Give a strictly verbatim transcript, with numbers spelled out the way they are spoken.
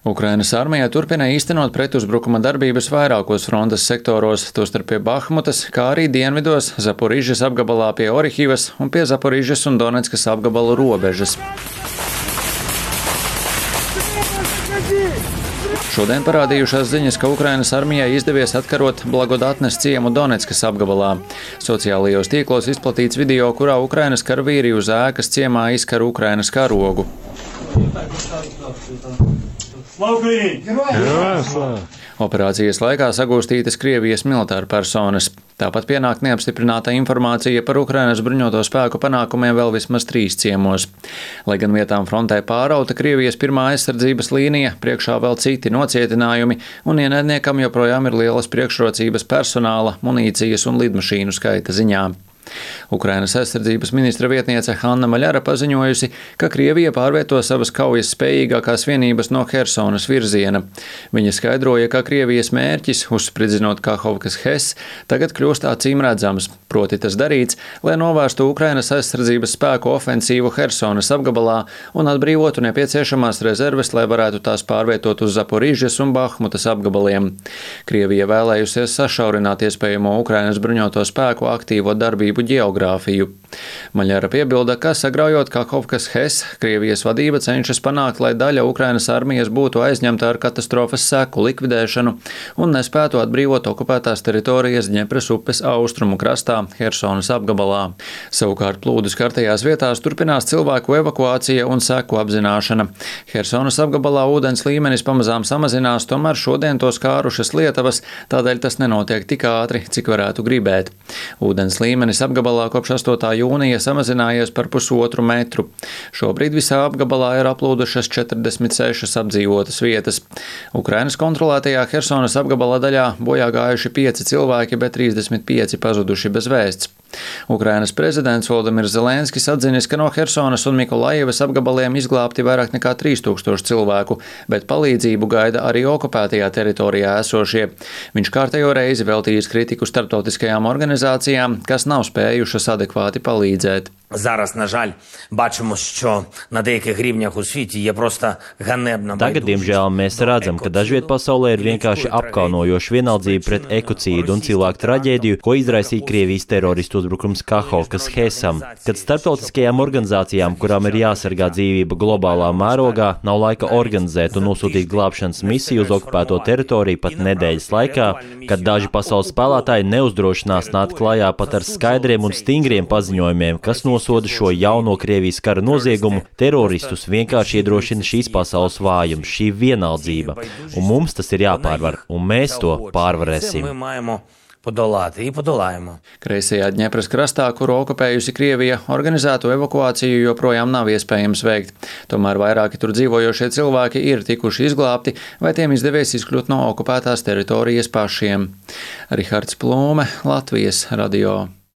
Ukrainas armija turpina īstenot pretuzbrukuma darbības vairākos frontes sektoros, tostarp pie Bahmutas, kā arī dienvidos, Zaporižas apgabalā pie Orihivas un pie Zaporižas un Doneckas apgabalu robežas. Šodien parādījušās ziņas, ka Ukrainas armijai izdevies atkarot Blagodatnes ciemu Doneckas apgabalā. Sociālajos tīklos izplatīts video, kurā Ukrainas karavīri uz ēkas ciemā izkar Ukrainas karogu. Operācijas laikā sagūstītas Krievijas militāra personas. Tāpat pienāk neapstiprināta informācija par Ukrainas bruņoto spēku panākumiem vēl vismaz trīs ciemos. Lai gan vietām frontē pārauta Krievijas pirmā aizsardzības līnija, priekšā vēl citi nocietinājumi, un ienaidniekam joprojām ir lielas priekšrocības personāla, munīcijas un lidmašīnu skaita ziņā. Ukrainas aizsardzības ministra vietniece Hanna Maļara paziņojusi, ka Krievija pārvieto savas kaujas spējīgākās vienības no Hersonas virziena. Viņa skaidroja, ka Krievijas mērķis, uzspridzinot Kahovkas Hes, tagad kļūst acīm redzams, proti tas darīts, lai novērstu Ukrainas aizsardzības spēku ofensīvu Hersonas apgabalā un atbrīvotu nepieciešamās rezerves, lai varētu tās pārvietot uz Zaporižas un Bahmutas apgabaliem. Krievija vēlējusies sašaurināt iespējamo Ukrainas bruņoto spēku aktīvo darbību geogrāfiju. Maļara piebilda, ka sagraujot Kahovkas Hes, Krievijas vadība cenšas panākt, lai daļa Ukrainas armijas būtu aizņemta ar katastrofas seku likvidēšanu un nespētu atbrīvot okupētās teritorijas Dņepras upes austrumu krastā Hersonas apgabalā. Savukārt plūdus skartajās vietās turpinās cilvēku evakuācija un seku apzināšana. Hersonas apgabalā ūdens līmenis pamazām samazinās, tomēr šodien to skārušas Lietavas, tādēļ tas nenotiek tik ātri, cik varētu gribēt. Ūdens līmenis apgabalā kopš astotā jūnija samazinājies par pusotru metru. Šobrīd visā apgabalā ir aplūdušas četrdesmit sešas apdzīvotas vietas. Ukrainas kontrolētajā Hersonas apgabala daļā bojā gājuši pieci cilvēki, bet trīsdesmit pieci pazuduši bez vēsts. Ukrainas prezidents Volodimirs Zelenskis atzinis, ka no Hersonas un Mikolajevas apgabaliem izglābti vairāk nekā trīs tūkstoši cilvēku, bet palīdzību gaida arī okupētajā teritorijā esošie. Viņš kārtējo reizi veltījis kritiku starptautiskajām organizācijām, kas nav spējušas adekvāti palīdzēt. Зараз, на жаль, бачимо, що на деяких рівнях у світі є просто ганебна байдужість. Tagad, diemžēl, mēs redzam, ka dažviet pasaulē ir vienkārši apkaunojoša vienaldzība pret ekocīdu un cilvēku traģēdiju, ko izraisīja Krievijas teroristu uzbrukums Kahovkas Hesam. Kad starptautiskajām organizācijām, kurām ir jāsargā dzīvība globālā mērogā, nav laika organizēt un nosūtīt glābšanas misiju uz okupēto teritoriju pat nedēļas laikā, kad daži pasaules spēlētāji neuzdrošinās nākt klajā pat ar skaidriem un stingriem paziņojumiem, kas no nosoda šo jauno Krievijas kara noziegumu, teroristus vienkārši iedrošina šīs pasaules vājums, šī vienaldzība. Un mums tas ir jāpārvar, un mēs to pārvarēsim. Kreisajā Dņepras krastā, kuru okupējusi Krievija, organizētu evakuāciju joprojām nav iespējams veikt. Tomēr vairāki tur dzīvojošie cilvēki ir tikuši izglābti, vai tiem izdevies izkļūt no okupētās teritorijas pašiem. Rihards Plūme, Latvijas radio.